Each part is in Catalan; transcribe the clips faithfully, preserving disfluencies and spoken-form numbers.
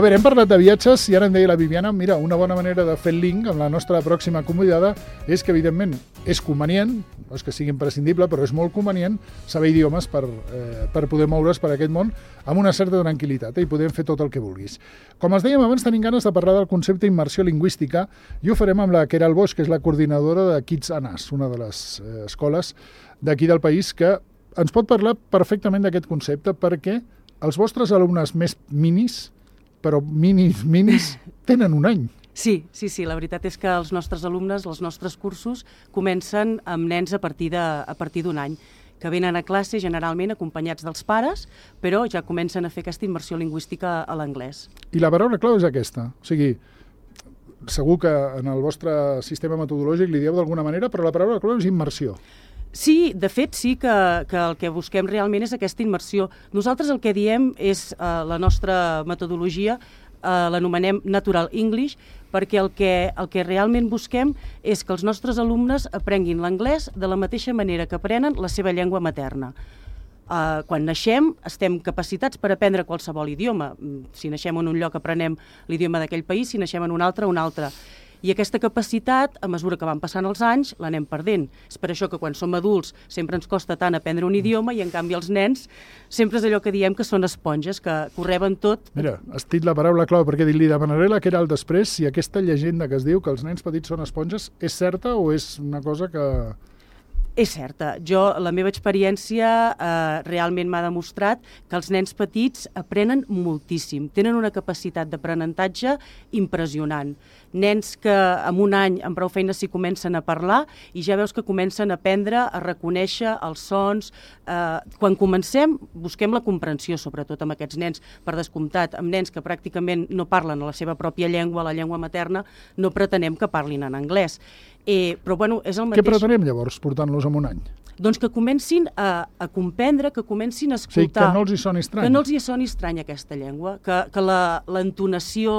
A veure, hem parlat de viatges i ara em deia la Viviana, mira, una bona manera de fer el link amb la nostra pròxima convidada és que, evidentment, és convenient, no és que sigui imprescindible, però és molt convenient saber idiomes per, eh, per poder moure's per aquest món amb una certa tranquil·litat eh, i podem fer tot el que vulguis. Com els dèiem abans, tenim ganes de parlar del concepte immersió lingüística i ho farem amb la Queralt Boix, que és la coordinadora de Kids Anas, una de les eh, escoles d'aquí del país, que ens pot parlar perfectament d'aquest concepte perquè els vostres alumnes més minis, però minis, minis, tenen un any. Sí, sí, sí, la veritat és que els nostres alumnes, els nostres cursos, comencen amb nens a partir de, a partir d'un any, que venen a classe generalment acompanyats dels pares, però ja comencen a fer aquesta immersió lingüística a l'anglès. I la paraula clau és aquesta, o sigui, segur que en el vostre sistema metodològic li dieu d'alguna manera, però la paraula clau és immersió. Sí, de fet, sí que, que el que busquem realment és aquesta immersió. Nosaltres el que diem és eh, la nostra metodologia, eh, l'anomenem Natural English, perquè el que, el que realment busquem és que els nostres alumnes aprenguin l'anglès de la mateixa manera que aprenen la seva llengua materna. Uh, quan naixem estem capacitats per aprendre qualsevol idioma. Si naixem en un lloc aprenem l'idioma d'aquell país, si naixem en un altre, un altre. I aquesta capacitat, a mesura que van passant els anys, l'anem perdent. És per això que quan som adults sempre ens costa tant aprendre un idioma i en canvi els nens sempre és allò que diem que són esponges, que ho reben tot. Mira, has dit la paraula clau perquè li demanaré la Queralt després si aquesta llegenda que es diu que els nens petits són esponges és certa o és una cosa que... És certa. Jo, la meva experiència eh, realment m'ha demostrat que els nens petits aprenen moltíssim. Tenen una capacitat d'aprenentatge impressionant. Nens que en un any amb prou feines s'hi comencen a parlar i ja veus que comencen a aprendre a reconèixer els sons. Eh, quan comencem, busquem la comprensió, sobretot amb aquests nens, per descomptat. Amb nens que pràcticament no parlen la seva pròpia llengua, la llengua materna, no pretenem que parlin en anglès. Eh, però, bueno, és el mateix... Què pretenem, llavors, portant-los en un any? Doncs que comencin a, a comprendre, que comencin a escoltar... O sigui, que no els hi soni estrany. Que no els hi soni estrany aquesta llengua, que, que la, l'entonació,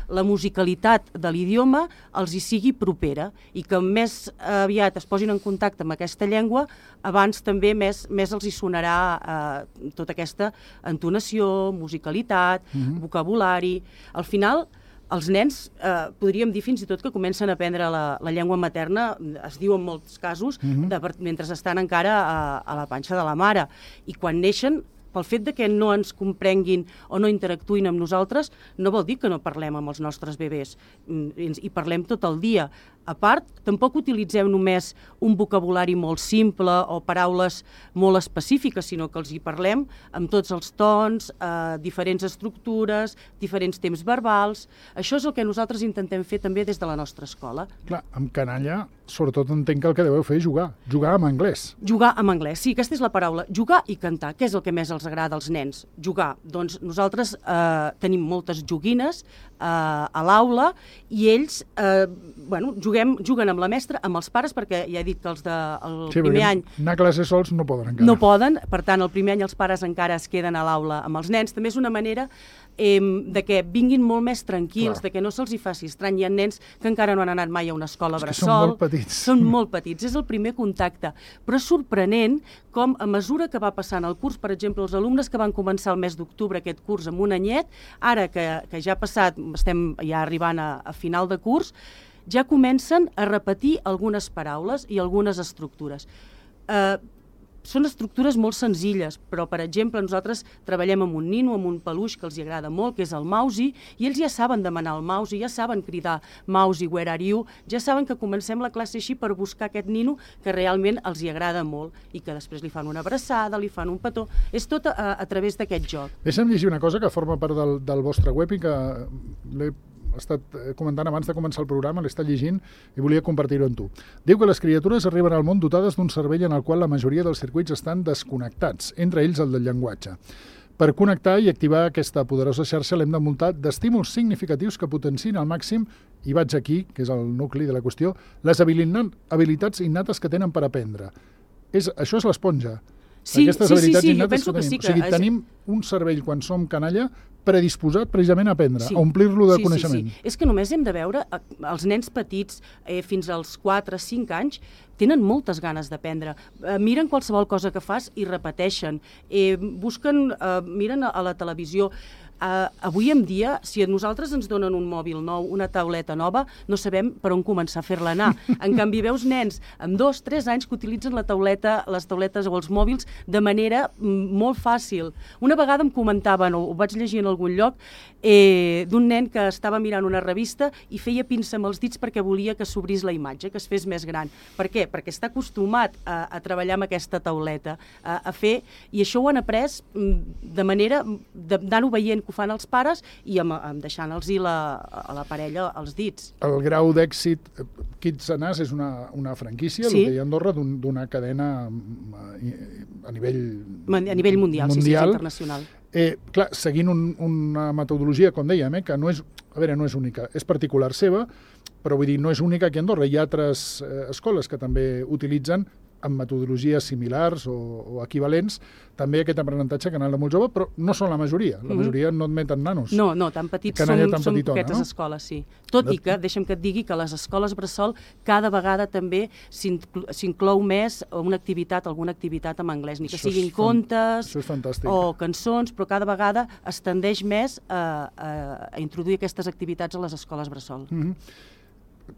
la musicalitat de l'idioma els hi sigui propera i que més aviat es posin en contacte amb aquesta llengua, abans també més, més els hi sonarà eh, tota aquesta entonació, musicalitat, mm-hmm. vocabulari... Al final... Els nens, eh, podríem dir fins i tot que comencen a aprendre la, la llengua materna, es diu en molts casos, mm-hmm. de, mentre estan encara a, a la panxa de la mare. I quan neixen, pel fet de que no ens comprenguin o no interactuïn amb nosaltres, no vol dir que no parlem amb els nostres bebès. I, i parlem tot el dia. A part, tampoc utilitzem només un vocabulari molt simple o paraules molt específiques, sinó que els hi parlem amb tots els tons, eh, diferents estructures, diferents temps verbals. Això és el que nosaltres intentem fer també des de la nostra escola. Clar, amb canalla, sobretot entenc que el que deveu fer és jugar, jugar amb anglès. Jugar amb anglès, sí, aquesta és la paraula. Jugar i cantar, què és el que més els agrada als nens? Jugar. Doncs nosaltres eh, tenim moltes joguines eh, a l'aula i ells, eh, bueno, juguem, juguen amb la mestra, amb els pares, perquè ja he dit que els de, el sí, primer any... anar a classe sols no poden encara. No poden, per tant, el primer any els pares encara es queden a l'aula amb els nens. També és una manera eh, de que vinguin molt més tranquils, clar. De que no se'ls hi faci estrany. Hi ha nens que encara no han anat mai a una escola bressol. Són molt petits. Són molt petits, és el primer contacte. Però és sorprenent com a mesura que va passant el curs, per exemple, els alumnes que van començar el mes d'octubre aquest curs amb un anyet, ara que, que ja ha passat, estem ja arribant a, a final de curs, ja comencen a repetir algunes paraules i algunes estructures. Eh, són estructures molt senzilles, però, per exemple, nosaltres treballem amb un nino, amb un peluix que els hi agrada molt, que és el Mausi, i ells ja saben demanar el Mausi, ja saben cridar Mausi, where are you? Ja saben que comencem la classe així per buscar aquest nino que realment els hi agrada molt i que després li fan una abraçada, li fan un petó. És tot a, a través d'aquest joc. Deixa'm llegir una cosa que forma part del, del vostre web i que l'he he estat comentant abans de començar el programa, l'he estat llegint i volia compartir-ho amb tu. Diu que les criatures arriben al món dotades d'un cervell en el qual la majoria dels circuits estan desconnectats, entre ells el del llenguatge. Per connectar i activar aquesta poderosa xarxa l'hem d'envoltar d'estímuls significatius que potenciïn al màxim, i vaig aquí, que és el nucli de la qüestió, les habilitats innates que tenen per aprendre. És, això és l'esponja. Sí, Aquestes sí, habilitats sí, sí, innates jo penso que que tenim. sí. Que o sigui, és... tenim un cervell, quan som canalla, predisposat precisament a aprendre, sí. a omplir-lo de sí, coneixement. Sí, sí. És que només hem de veure, els nens petits, eh, fins als quatre a cinc anys, tenen moltes ganes d'aprendre. Eh, miren qualsevol cosa que fas i repeteixen. Eh, busquen, eh, miren a, a la televisió. uh, avui en dia, si a nosaltres ens donen un mòbil nou, una tauleta nova, no sabem per on començar a fer-la anar. En canvi, veus nens amb dos, tres anys que utilitzen la tauleta, les tauletes o els mòbils de manera molt fàcil. Una vegada em comentaven, o ho vaig llegir en algun lloc, eh, d'un nen que estava mirant una revista i feia pinça amb els dits perquè volia que s'obrís la imatge, que es fes més gran. Per què? Perquè està acostumat a, a treballar amb aquesta tauleta, a, a fer, i això ho han après de manera d'anar-ho veient que ho fan els pares i amb, amb deixant-los-hi la, a la parella els dits. El grau d'èxit, Kitsanàs és una, una franquícia, sí. el que hi ha a Andorra, d'una cadena a nivell a nivell mundial, mundial. Sí, sí, internacional. Eh, clar, seguint un, una metodologia, com dèiem, eh, que no és, a veure, no és única, és particular seva, però vull dir, no és única aquí a Andorra. Hi ha altres eh, escoles que també utilitzen amb metodologies similars o, o equivalents, també aquest aprenentatge canal de molt jove, però no són la majoria. La majoria no admeten nanos. No, no, tan petits som, tan som petitona, aquestes no? escoles, sí. Tot i que, deixa'm que et digui que a les escoles bressol cada vegada també s'inclou més una activitat, alguna activitat en anglès, ni que això siguin fan... contes o cançons, però cada vegada es tendeix més a, a, a introduir aquestes activitats a les escoles bressol. Mm-hmm.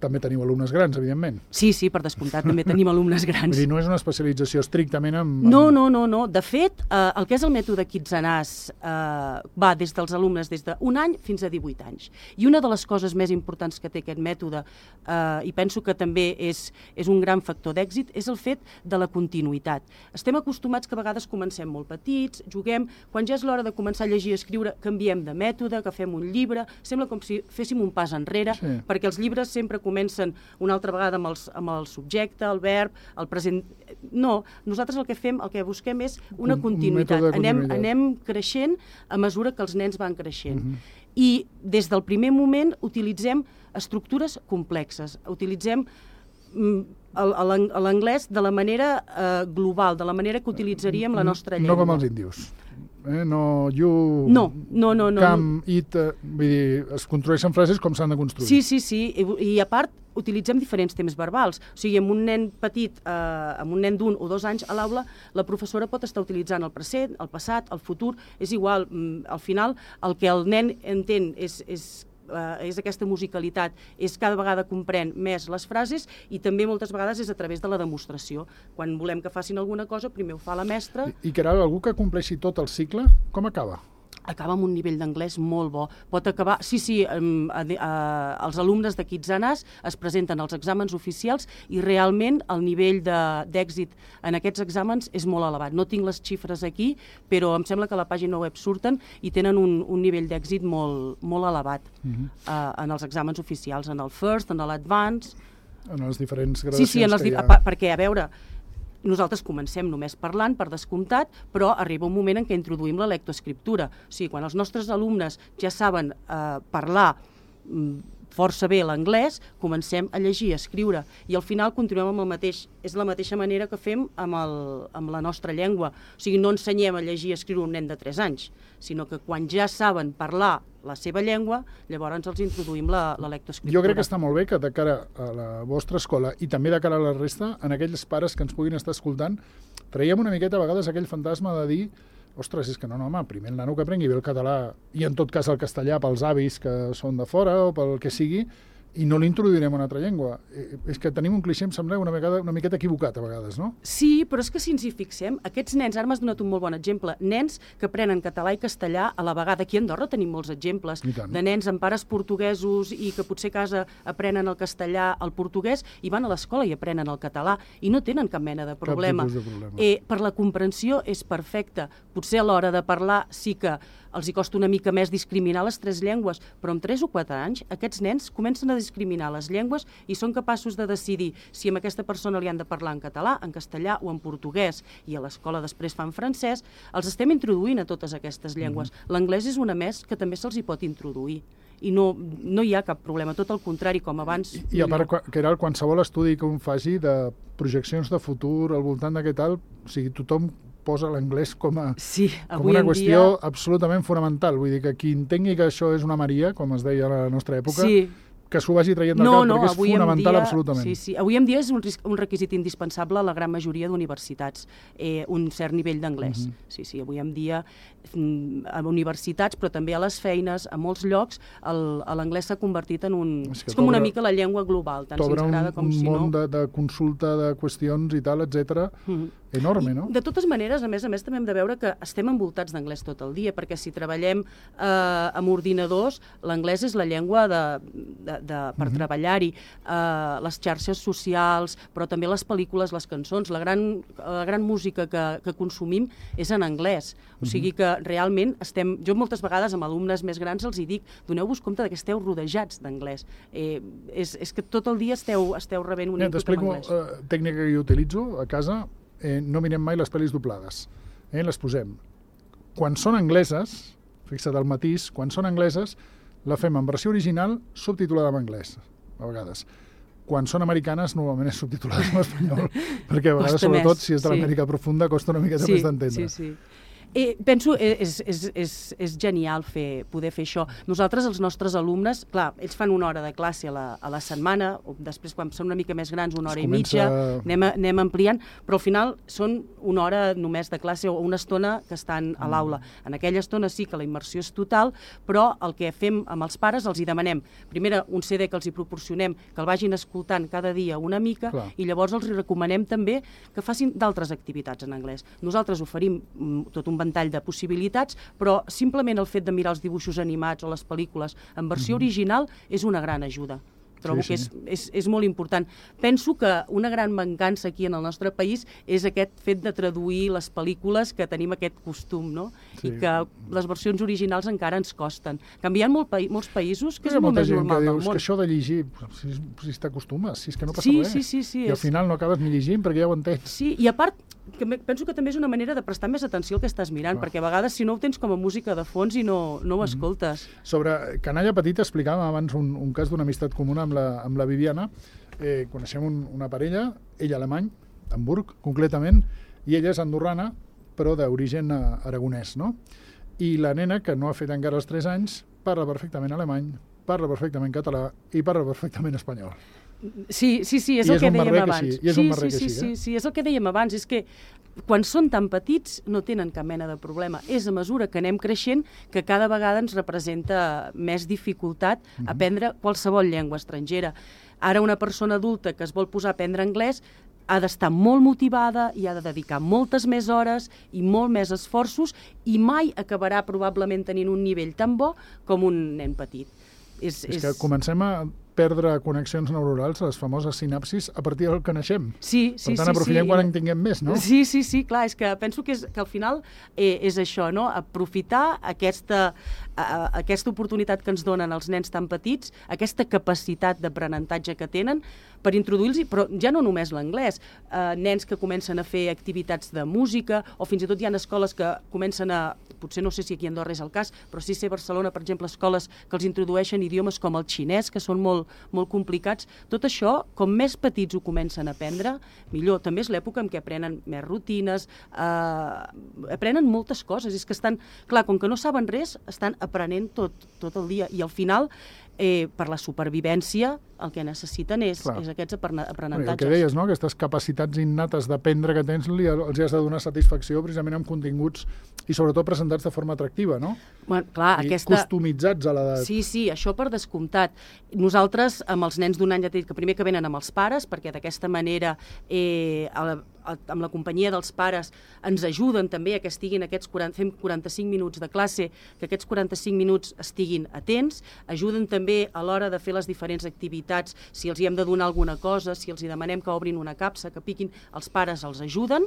També teniu alumnes grans, evidentment. Sí, sí, per descomptat, també tenim alumnes grans. Vull dir, no és una especialització estrictament en... No, no, no, no. De fet, eh, el que és el mètode Kitsanàs eh, va des dels alumnes des d'un any fins a divuit anys. I una de les coses més importants que té aquest mètode, eh, i penso que també és, és un gran factor d'èxit, és el fet de la continuïtat. Estem acostumats que a vegades comencem molt petits, juguem, quan ja és l'hora de començar a llegir i escriure, canviem de mètode, agafem un llibre, sembla com si féssim un pas enrere, sí. perquè els llibres sempre comencen una altra vegada amb, els, amb el subjecte, el verb, el present... No, nosaltres el que fem, el que busquem és una continuïtat. Un anem, continuïtat. anem creixent a mesura que els nens van creixent. Uh-huh. I des del primer moment utilitzem estructures complexes, utilitzem l'anglès de la manera eh, global, de la manera que utilitzaríem la nostra llengua. No com els índios. Eh? No, you, no, no, no, no, come, eat, uh, vull dir, es construeixen frases com s'han de construir. Sí, sí, sí, i, i a part utilitzem diferents temps verbals. O sigui, amb un nen petit, eh, amb un nen d'un o dos anys a l'aula, la professora pot estar utilitzant el present, el passat, el futur, és igual. Al final, el que el nen entén és... és Uh, és aquesta musicalitat, és cada vegada comprèn més les frases i també moltes vegades és a través de la demostració. Quan volem que facin alguna cosa, primer ho fa la mestra. I, i que ara algú que compleixi tot el cicle, com acaba? Acaba amb un nivell d'anglès molt bo. Pot acabar... Sí, sí, um, uh, uh, els alumnes de Kitsanàs es presenten als exàmens oficials i realment el nivell d'èxit en aquests exàmens és molt elevat. No tinc les xifres aquí, però em sembla que a la pàgina web surten i tenen un, un nivell d'èxit molt, molt elevat uh-huh. uh, en els exàmens oficials, en el First, en l'Advance... En les diferents gradacions sí, sí, en els que hi ha... Pa, perquè, a veure... Nosaltres comencem només parlant, per descomptat, però arriba un moment en què introduïm la lectoescriptura. O sigui, quan els nostres alumnes ja saben eh, parlar força bé l'anglès, comencem a llegir, a escriure, i al final continuem amb el mateix. És la mateixa manera que fem amb, el, amb la nostra llengua. O sigui, no ensenyem a llegir i a escriure un nen de tres anys, sinó que quan ja saben parlar la seva llengua, llavors els introduïm la, la lectoescriptura. Jo crec que està molt bé que de cara a la vostra escola i també de cara a la resta, en aquells pares que ens puguin estar escoltant, traiem una miqueta a vegades aquell fantasma de dir ostres, és que no, no, home, primer el nano que aprengui bé el català i en tot cas el castellà pels avis que són de fora o pel que sigui, i no l'introduirem una altra llengua. Eh, és que tenim un clixé, em sembla, una, vegada, una miqueta equivocat a vegades, no? Sí, però és que si ens hi fixem, aquests nens, ara m'has donat un molt bon exemple, nens que aprenen català i castellà a la vegada. Aquí a Andorra tenim molts exemples de nens amb pares portuguesos i que potser a casa aprenen el castellà, el portuguès, i van a l'escola i aprenen el català i no tenen cap mena de problema. Cap tipus de problema. Eh, per la comprensió és perfecta. Potser a l'hora de parlar sí que els hi costa una mica més discriminar les tres llengües, però amb tres o quatre anys aquests nens comencen a discriminar les llengües i són capaços de decidir si amb aquesta persona li han de parlar en català, en castellà o en portuguès, i a l'escola després fan francès. Els estem introduint a totes aquestes llengües. Mm-hmm. L'anglès és una més que també se'ls hi pot introduir i no, no hi ha cap problema, tot el contrari, com abans. I, i a part, no. que era qualsevol estudi que un faci de projeccions de futur al voltant d'aquest alt, o sigui, tothom posa l'anglès com, a, sí, com una qüestió dia... absolutament fonamental. Vull dir que qui entengui que això és una maria, com es deia a la nostra època, sí. que s'ho vagi traient del no, cap, no, perquè és fonamental dia, absolutament. Sí, sí. Avui en dia és un, un requisit indispensable a la gran majoria d'universitats, eh, un cert nivell d'anglès. Mm-hmm. Sí, sí, avui en dia a universitats, però també a les feines, a molts llocs, l'anglès s'ha convertit en un... És, és com una mica la llengua global, tant si ens agrada com si no. T'obre un món de, de consulta de qüestions i tal, etcètera, mm-hmm. enorme, no? I, de totes maneres, a més a més, també hem de veure que estem envoltats d'anglès tot el dia, perquè si treballem eh, amb ordinadors, l'anglès és la llengua de, de, de, per mm-hmm. treballar-hi, eh, les xarxes socials, però també les pel·lícules, les cançons, la gran, la gran música que, que consumim és en anglès. O sigui que realment estem... Jo moltes vegades amb alumnes més grans els hi dic, doneu-vos compte que esteu rodejats d'anglès. Eh, és, és que tot el dia esteu, esteu rebent un input en anglès. T'explico uh, tècnica que jo utilitzo a casa. Eh, no mirem mai les pel·lis doblades. Eh, les posem. Quan són angleses, fixa't el matís, quan són angleses, la fem en versió original subtitulada en anglès, a vegades. Quan són americanes, normalment és subtitulada en espanyol, perquè a vegades, costa sobretot, més, si és de l'Amèrica sí. profunda, costa una miqueta sí, més d'entendre. Sí, sí. Eh, penso que és, és, és, és genial fer, poder fer això. Nosaltres, els nostres alumnes, clar, ells fan una hora de classe a la, a la setmana, o després, quan són una mica més grans, una hora i mitja, anem, anem ampliant, però al final són una hora només de classe o una estona que estan a l'aula. En aquella estona sí que la immersió és total, però el que fem amb els pares, els hi demanem, primera, un C D que els hi proporcionem, que el vagin escoltant cada dia una mica, clar. I llavors els hi recomanem també que facin d'altres activitats en anglès. Nosaltres oferim tot un ventall de possibilitats, però simplement el fet de mirar els dibuixos animats o les pel·lícules en versió mm-hmm. original és una gran ajuda. Trobo sí, sí. que és, és, és molt important. Penso que una gran mancança aquí en el nostre país és aquest fet de traduir les pel·lícules, que tenim aquest costum, no? Sí. I que les versions originals encara ens costen. Canviant molt pa molts països, que és molt més normal del món. Que això de llegir, si, si t'acostumes, si és que no passa sí, res. Sí, sí, sí, I al final no acabes ni llegint perquè ja ho entens. Sí, i a part, que penso que també és una manera de prestar més atenció al que estàs mirant, clar. Perquè a vegades si no ho tens com a música de fons i no, no ho escoltes. Mm-hmm. Sobre Canalla Petita explicàvem abans un, un cas d'una amistat comuna amb la, amb la Viviana. Eh, coneixem un, una parella, ell alemany, Hamburg, concretament, i ella és andorrana, però d'origen aragonès, no? I la nena, que no ha fet encara els tres anys, parla perfectament alemany, parla perfectament català i parla perfectament espanyol. Sí, sí, sí, és I el és que dèiem abans. Sí, I és sí, un marrec sí, així, sí, eh? sí, és el que dèiem abans, és que quan són tan petits no tenen cap mena de problema. És a mesura que anem creixent que cada vegada ens representa més dificultat mm-hmm. aprendre qualsevol llengua estrangera. Ara una persona adulta que es vol posar a aprendre anglès ha d'estar molt motivada i ha de dedicar moltes més hores i molt més esforços i mai acabarà probablement tenint un nivell tan bo com un nen petit. És, és, és que comencem a perdre connexions neurals, les famoses sinapsis, a partir del que naixem. Sí, sí, per tant, sí, aprofitem sí. quan en tinguem més, no? Sí, sí, sí, clar, és que penso que, és, que al final eh, és això, no? Aprofitar aquesta, a, aquesta oportunitat que ens donen els nens tan petits, aquesta capacitat d'aprenentatge que tenen, per introduir-los, però ja no només l'anglès, eh, nens que comencen a fer activitats de música, o fins i tot hi ha escoles que comencen a, potser no sé si aquí a Andorra és el cas, però sí sé a Barcelona, per exemple, escoles que els introdueixen idiomes com el xinès, que són molt, molt complicats. Tot això, com més petits ho comencen a aprendre, millor. També és l'època en què aprenen més rutines, eh, aprenen moltes coses. És que estan, clar, com que no saben res, estan aprenent tot, tot el dia. I al final, eh, per la supervivència, el que necessiten és, és aquests aprenentatges. El que deies, no? Aquestes capacitats innates d'aprendre que tens, li, els has de donar satisfacció precisament amb continguts i sobretot presentats de forma atractiva, no? Bueno, clar, I aquesta... customitzats a l'edat. Sí, sí, això per descomptat. Nosaltres, amb els nens d'un any, ja t'he dit que primer que venen amb els pares, perquè d'aquesta manera, eh, a la, a, amb la companyia dels pares, ens ajuden també a que estiguin aquests quaranta, fem quaranta-cinc minuts de classe, que aquests quaranta-cinc minuts estiguin atents, ajuden també a l'hora de fer les diferents activitats, si els hi hem de donar alguna cosa, si els hi demanem que obrin una capsa, que piquin, els pares els ajuden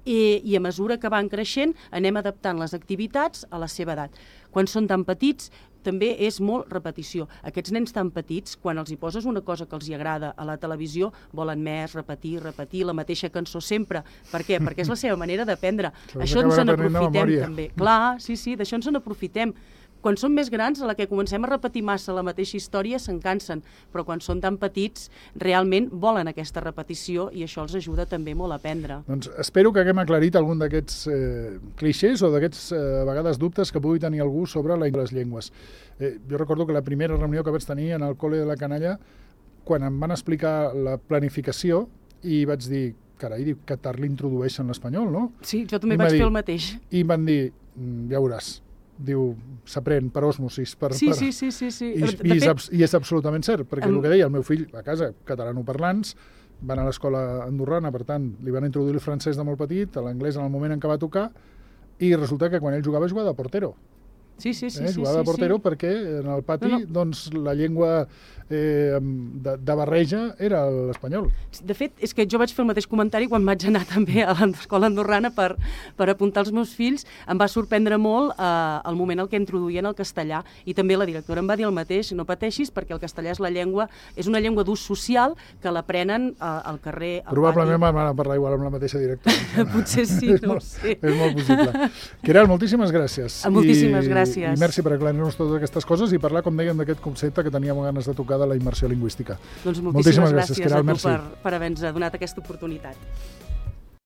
i, i a mesura que van creixent anem adaptant les activitats a la seva edat. Quan són tan petits també és molt repetició. Aquests nens tan petits, quan els hi poses una cosa que els hi agrada a la televisió, volen més, repetir, repetir la mateixa cançó sempre. Per què? Perquè és la seva manera d'aprendre. Això ens n'aprofitem també. Clar, sí, sí, d'això ens n'aprofitem. quan són més grans, a la que comencem a repetir massa la mateixa història, se'n cansen, però quan són tan petits, realment volen aquesta repetició i això els ajuda també molt a aprendre. Doncs espero que haguem aclarit algun d'aquests eh, clixés o d'aquests, eh, a vegades, dubtes que pugui tenir algú sobre la les llengües. Eh, jo recordo que la primera reunió que vaig tenir en el col·le de la Canalla, quan em van explicar la planificació, i vaig dir, carai, diu, Qatar l'introdueixen l'espanyol, no? Sí, jo també I vaig dir, fer el mateix. I em van dir, ja veuràs, diu, s'aprèn per osmosis. Per, sí, per... sí, sí, sí, sí. I, De i, és, fet, I és absolutament cert, perquè em... el que deia el meu fill a casa, catalanoparlants, van a l'escola andorrana, per tant, li van introduir el francès de molt petit, l'anglès en el moment en què va tocar, i resulta que quan ell jugava, jugava de portero. Sí, sí, sí. Eh? sí Jugava de sí, portero sí. perquè en el pati No, no. doncs, la llengua eh, de, de barreja era l'espanyol. De fet, és que jo vaig fer el mateix comentari quan vaig anar també a l'escola andorrana per, per apuntar els meus fills. Em va sorprendre molt eh, el moment en què introduïen el castellà i també la directora em va dir el mateix, no pateixis perquè el castellà és la llengua, és una llengua d'ús social que l'aprenen eh, al carrer, al Probablement pati. van parlar igual amb la mateixa directora. Potser sí, és no molt, ho sé. És molt possible. Queralt, moltíssimes gràcies. Moltíssimes I, gràcies. I merci per aclarir-nos totes aquestes coses i parlar, com dèiem, d'aquest concepte que teníem ganes de tocar de la immersió lingüística. Doncs moltíssimes, moltíssimes gràcies, gràcies, Queralt, a tu merci. per, per haver-nos donat aquesta oportunitat.